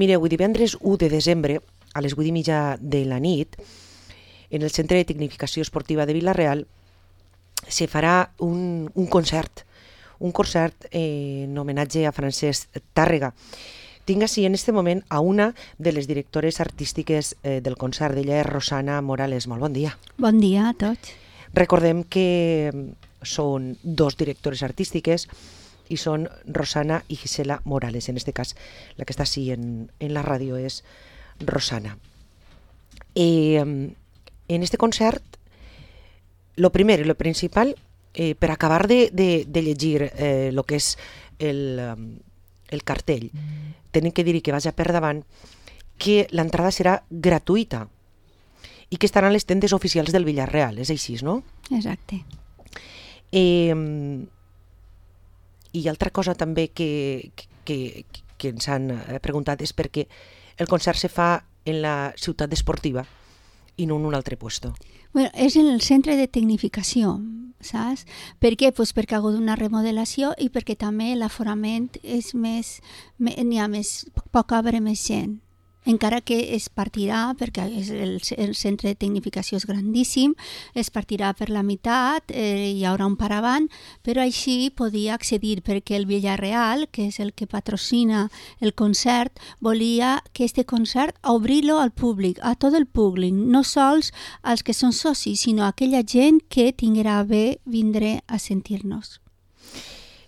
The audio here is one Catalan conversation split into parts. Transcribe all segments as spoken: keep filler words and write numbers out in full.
Mireu, divendres u de desembre, a les vuit i mitja de la nit, en el Centre de Tecnificació Esportiva de Vila-real, se farà un, un concert, un concert eh, en homenatge a Francesc Tàrrega. Tinc així en este moment a una de les directores artístiques eh, del concert. Ella és Rosana Morales. Molt bon dia. Bon dia a tots. Recordem que són dos directores artístiques i són Rosana i Gisela Morales. En este cas, la que està així en, en la ràdio és Rosana. Eh, en este concert, lo primer i lo principal, eh, per acabar de, de, de llegir eh, lo que és el, el cartell, tenen que dir que vaja per davant que l'entrada serà gratuïta i que estaran les tendes oficials del Villarreal, és així, no? Exacte. Eh, I altra cosa també que, que, que ens han preguntat és perquè el concert se fa en la ciutat esportiva i no en un altre puesto. Bueno, és en el centre de tecnificació, saps? Per què? Pues perquè ha hagut una remodelació i perquè també l'aforament és més, n'hi ha més, pot cabre més gent. Encara que es partirà, perquè és el, el centre de tecnificació és grandíssim, es partirà per la meitat, eh, hi haurà un paravant, però així podia accedir, perquè el Villarreal, que és el que patrocina el concert, volia que este concert obrir-lo al públic, a tot el públic, no sols als que són socis, sinó a aquella gent que tinguera bé vindre a sentir-nos.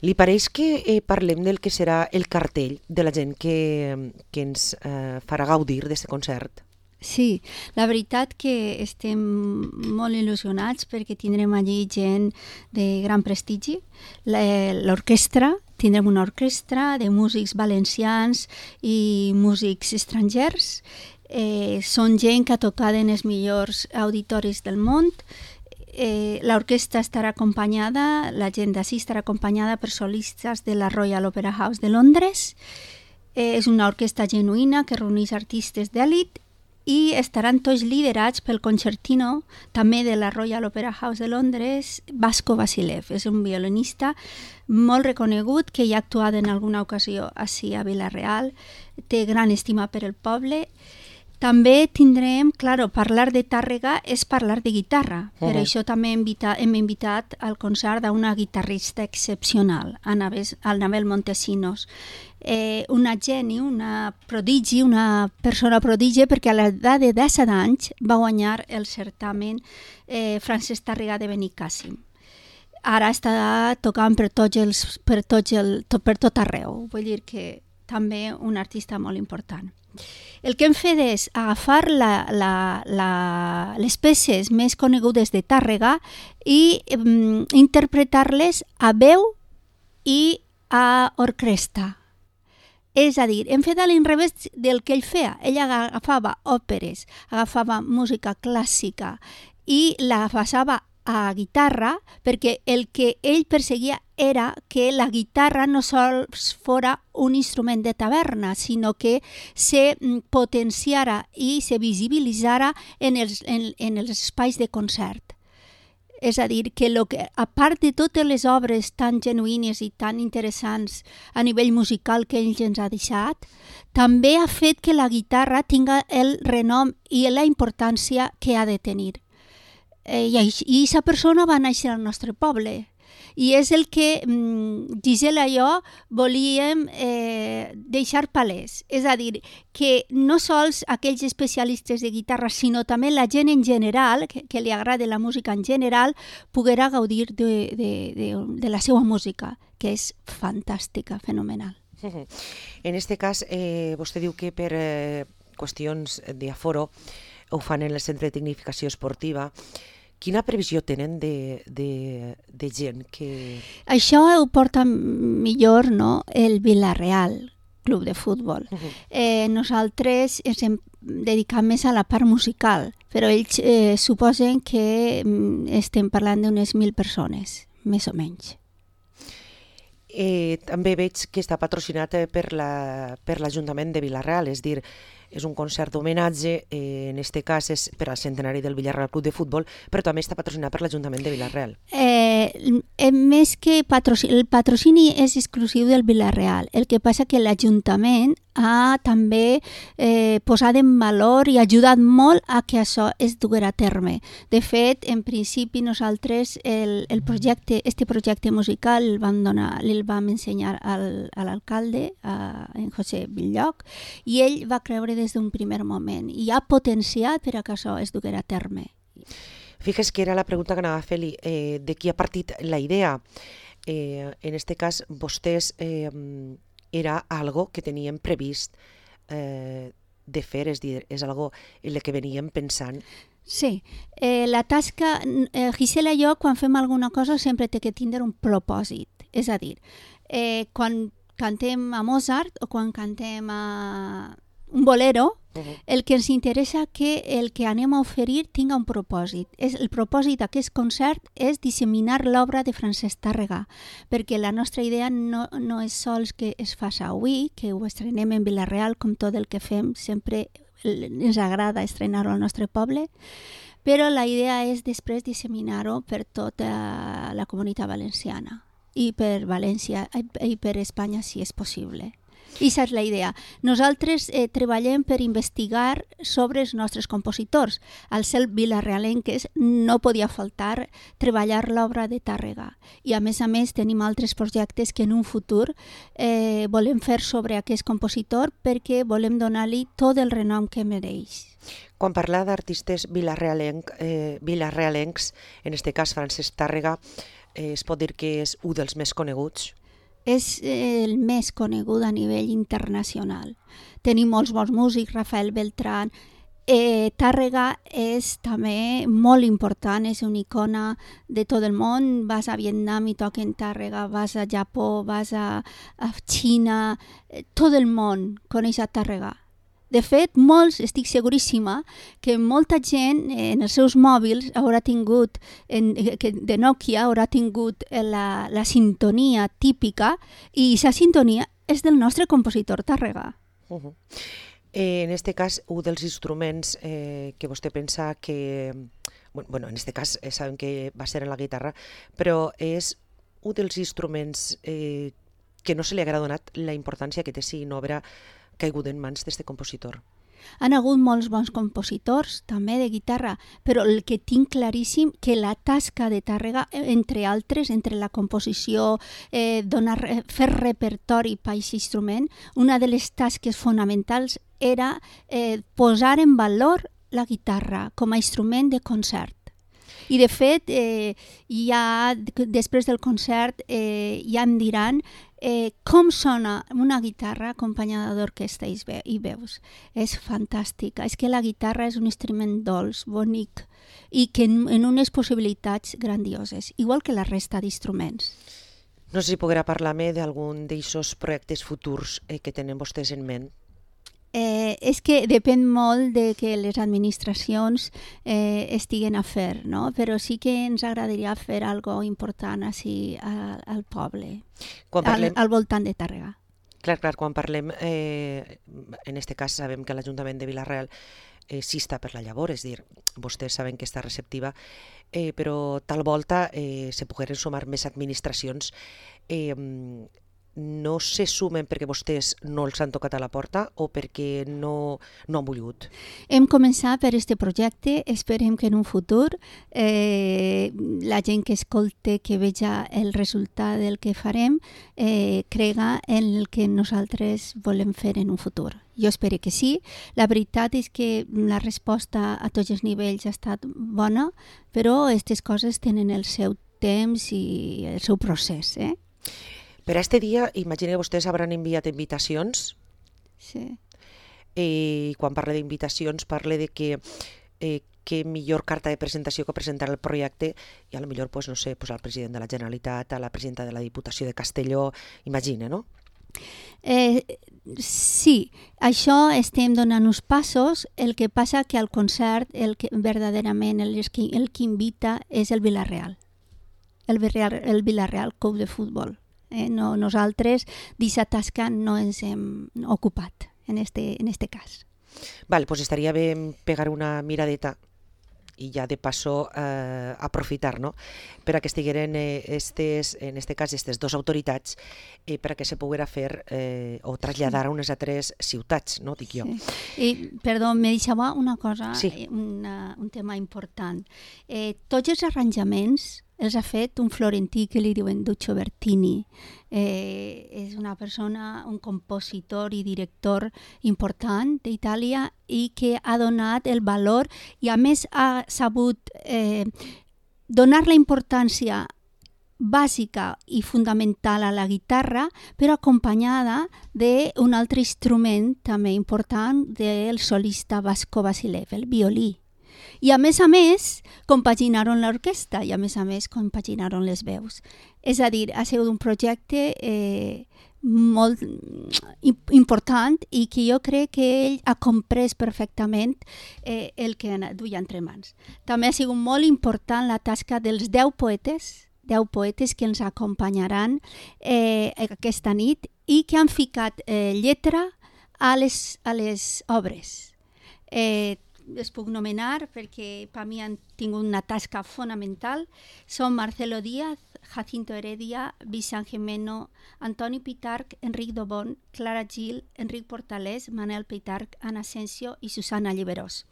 Li pareix que eh, parlem del que serà el cartell de la gent que, que ens eh, farà gaudir d'aquest concert? Sí, la veritat que estem molt il·lusionats perquè tindrem allí gent de gran prestigi. L'orquestra, tindrem una orquestra de músics valencians i músics estrangers. Eh, són gent que ha tocat en els millors auditoris del món. Eh, l'orquestra estarà acompanyada, la gent d'ací estarà acompanyada per solistes de la Royal Opera House de Londres. Eh, és una orquestra genuïna que reuneix artistes d'èlit i estaran tots liderats pel concertino també de la Royal Opera House de Londres, Vasco Vasilev. És un violinista molt reconegut que ja ha actuat en alguna ocasió ací a Vila-real, té gran estima per el poble. També tindrem, claro, parlar de Tàrrega és parlar de guitarra. Per uh-huh. això també hem invitat, hem invitat al concert a una guitarrista excepcional, Anabel Montesinos. Eh, una geni, una prodigi, una persona prodigi, perquè a l'edat de disset anys va guanyar el certamen eh, Francesc Tàrrega de Benicàssim. Ara està tocant per, tots els, per, tots el, tot, per tot arreu. Vull dir que també un artista molt important. El que hem fet és agafar la, la, la, les peces més conegudes de Tàrrega i um, interpretar-les a veu i a orquestra. És a dir, hem fet a l'inrevés del que ell feia. Ell agafava òperes, agafava música clàssica i la passava a guitarra, perquè el que ell perseguia era que la guitarra no sols fora un instrument de taverna, sinó que se potenciara i se visibilitzara en els, en, en els espais de concert. És a dir, que, lo que a part de totes les obres tan genuïnes i tan interessants a nivell musical que ell ens ha deixat, també ha fet que la guitarra tinga el renom i la importància que ha de tenir. Eh, i aquesta persona va néixer al nostre poble i és el que mm, Gisela i jo volíem eh, deixar palès, és a dir, que no sols aquells especialistes de guitarra, sinó també la gent en general, que, que li agrada la música en general, poguera gaudir de, de, de, de la seva música, que és fantàstica, fenomenal. En este cas, eh, vostè diu que per eh, qüestions d'aforo ho fan en el Centre de Tecnificació Esportiva. Quina previsió tenen de, de, de gent que... Això ho porta millor, no?, el Vila-real, club de futbol. Uh-huh. Eh, nosaltres ens hem dedicat més a la part musical, però ells eh, suposen que mm, estem parlant d'unes mil persones, més o menys. Eh, també veig que està patrocinat per la, per l'Ajuntament de Vila-real, és dir, és un concert d'homenatge, eh, en este cas és per al centenari del Villarreal Club de Futbol, però també està patrocinat per l'Ajuntament de Vila-real. Eh, més que patrocini, el patrocini és exclusiu del Vila-real, el que passa que l'Ajuntament ha també eh, posat en valor i ajudat molt a que això es duguera a terme. De fet, en principi nosaltres el, el projecte, este projecte musical el vam donar, el vam ensenyar al, a l'alcalde, a en José Villoc, i ell va creure des d'un primer moment i ha potenciat per a que això es duguera a terme. Fixes que era la pregunta que anava a fer-li, eh, de qui ha partit la idea. Eh, en este cas, vostès eh, era algo que teníem previst eh, de fer, és dir, és algo en el que veníem pensant. Sí, eh, la tasca, eh, Gisela i jo, quan fem alguna cosa, sempre té que tindre un propòsit. És a dir, eh, quan cantem a Mozart o quan cantem a un bolero, uh-huh. el que ens interessa que el que anem a oferir tinga un propòsit. És, el propòsit d'aquest concert és disseminar l'obra de Francesc Tàrrega, perquè la nostra idea no, no és sols que es faci avui, que ho estrenem en Vila-real, com tot el que fem, sempre ens agrada estrenar-ho al nostre poble, però la idea és després disseminar-ho per tota la comunitat valenciana i per València i per Espanya, si és possible. I aquesta és la idea. Nosaltres eh, treballem per investigar sobre els nostres compositors. Al ser vilarealenques no podia faltar treballar l'obra de Tàrrega. I a més a més tenim altres projectes que en un futur eh, volem fer sobre aquest compositor perquè volem donar-li tot el renom que mereix. Quan parla d'artistes vilarealenc, eh, vilarealencs, en aquest cas Francesc Tàrrega, eh, es pot dir que és un dels més coneguts? És el més conegut a nivell internacional. Tenim molts bons músics, Rafael Beltrán. Eh, Tàrrega és també molt important, és una icona de tot el món. Vas a Vietnam i toquen Tàrrega, vas a Japó, vas a, a Xina, eh, tot el món coneix a Tàrrega. De fet, molts, estic seguríssima, que molta gent en els seus mòbils haurà tingut, en, de Nokia, haurà tingut la, la sintonia típica i aquesta sintonia és del nostre compositor Tàrrega. Uh-huh. eh, en aquest cas, un dels instruments eh, que vostè pensa que... Bueno, en aquest cas eh, sabem que va ser en la guitarra, però és un dels instruments eh, que no se li haurà donat la importància que té si no haurà caigut en mans d'aquest compositor. Han hagut molts bons compositors, també de guitarra, però el que tinc claríssim que la tasca de Tàrrega, entre altres, entre la composició, eh, donar, fer repertori per aquest instrument, una de les tasques fonamentals era eh, posar en valor la guitarra com a instrument de concert. I de fet, eh, ja, després del concert eh, ja em diran eh, com sona una guitarra acompanyada d'orquestra i veus. És fantàstica. És que la guitarra és un instrument dolç, bonic i que en, en unes possibilitats grandioses, igual que la resta d'instruments. No sé si podrà parlar-me d'algun d'aquests projectes futurs eh, que tenen vostès en ment. Eh, és que depèn molt de que les administracions eh, estiguen a fer, no? Però sí que ens agradaria fer alguna cosa important així al, al poble, parlem... al, al voltant de Tàrrega. Clar, clar, quan parlem, eh, en aquest cas sabem que l'Ajuntament de Vila-real eh, sí està per la llavor, és dir, vostès saben que està receptiva, eh, però tal volta eh, se pogueren sumar més administracions. Eh, no se sumen perquè vostès no els han tocat a la porta o perquè no, no han volgut? Hem començat per aquest projecte, esperem que en un futur eh, la gent que escolte, que veja el resultat del que farem, eh, crega en el que nosaltres volem fer en un futur. Jo espero que sí. La veritat és que la resposta a tots els nivells ha estat bona, però aquestes coses tenen el seu temps i el seu procés, eh? Per a aquest dia, imagino que vostès hauran enviat invitacions. Sí. I quan parle d'invitacions, parle de que eh, que millor carta de presentació que presentar el projecte i a lo millor, pues, no sé, pues, al president de la Generalitat, a la presidenta de la Diputació de Castelló, imagina, no? Eh, sí, això estem donant uns passos, el que passa que al concert el que verdaderament el que, el que invita és el Vila-real, el Vila-real, el Vila-real Club de Futbol. Eh, no, nosaltres d'aquesta tasca no ens hem ocupat en este, en este cas. Val, pues estaria bé pegar una miradeta i ja de passo eh, aprofitar, no? Per a que estigueren eh, estes, en este cas aquestes dues autoritats eh, per a que se poguera fer eh, o traslladar a unes altres ciutats, no? Dic jo. Sí. I, perdó, me deixava una cosa, Sí. una, un tema important. Eh, tots els arranjaments els ha fet un florentí que li diuen Duccio Bertini. Eh, és una persona, un compositor i director important d'Itàlia i que ha donat el valor i a més ha sabut eh, donar la importància bàsica i fundamental a la guitarra, però acompanyada d'un altre instrument també important del solista Vasco Vasilev, el violí. I a més a més, compaginaron l'orquestra i a més a més compaginaron les veus. És a dir, ha sigut un projecte eh, molt important i que jo crec que ell ha comprès perfectament eh, el que duia entre mans. També ha sigut molt important la tasca dels deu poetes, deu poetes que ens acompanyaran eh, aquesta nit i que han ficat eh, lletra a les, a les obres. Eh, les puc nomenar perquè per mi han tingut una tasca fonamental. Són Marcelo Díaz, Jacinto Heredia, Vicent Gimeno, Antoni Pitarch, Enric Dobon, Clara Gil, Enric Portalés, Manel Pitarch, Anna Asensio i Susana Lliberós.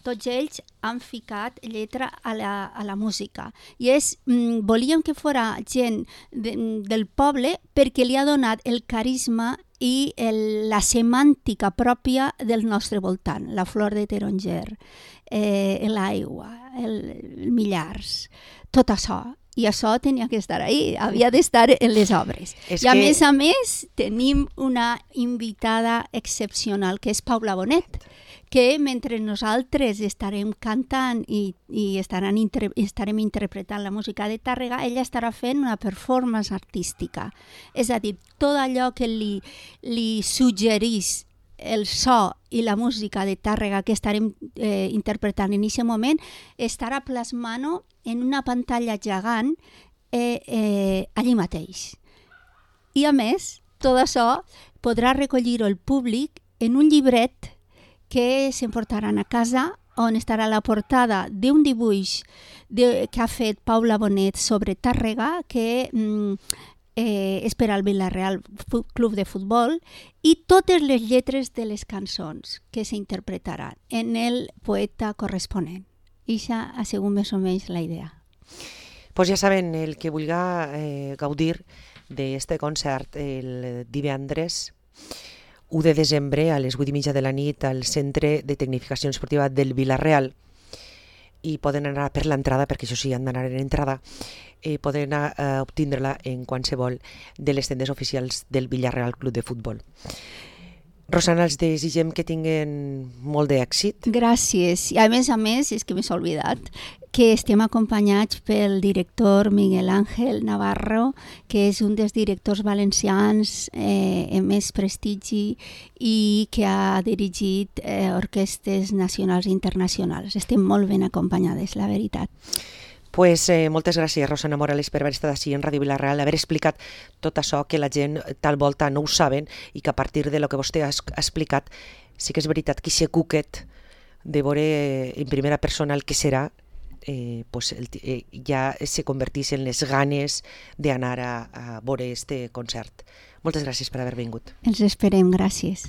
Tots ells han ficat lletra a la, a la música. I és, mm, volíem que fora gent de, del poble perquè li ha donat el carisma i el, la semàntica pròpia del nostre voltant, la flor de taronger, eh, l'aigua, el, el millars, tot això. I això tenia que estar ahí, havia d'estar en les obres. És I a que... més a més tenim una invitada excepcional que és Paula Bonet, que mentre nosaltres estarem cantant i, i estaran inter, estarem interpretant la música de Tàrrega, ella estarà fent una performance artística. És a dir, tot allò que li, li suggerís el so i la música de Tàrrega que estarem eh, interpretant en aquest moment estarà plasmant en una pantalla gegant eh, eh, allí mateix. I a més, tot això podrà recollir-ho el públic en un llibret que s'emportaran a casa on estarà la portada d'un dibuix de, que ha fet Paula Bonet sobre Tàrrega que mm, eh, és per al Vila-real Club de Futbol i totes les lletres de les cançons que s'interpretaran en el poeta corresponent. I això ha sigut més o menys la idea. Pues ja saben, el que vulga eh, gaudir d'este concert el divendres u de desembre a les vuit i mitja de la nit al Centre de Tecnificació Esportiva del Vila-real i poden anar per l'entrada, perquè això sí, han d'anar en entrada, eh, poden anar a obtindre-la en qualsevol de les tendes oficials del Vila-real Club de Futbol. Rosana, els desitgem que tinguen molt d'èxit. Gràcies. I a més a més, és que m'he oblidat, que estem acompanyats pel director Miguel Ángel Navarro, que és un dels directors valencians eh, amb més prestigi i que ha dirigit eh, orquestres nacionals i internacionals. Estem molt ben acompanyades, la veritat. Pues, eh, moltes gràcies, Rosana Morales, per haver estat així en Ràdio Vila-real, haver explicat tot això que la gent tal volta no ho saben i que a partir de lo que vostè ha explicat sí que és veritat que aquest cuquet de veure en primera persona el que serà eh, pues el, eh, ja se convertís en les ganes d'anar a, a veure este concert. Moltes gràcies per haver vingut. Els esperem, gràcies.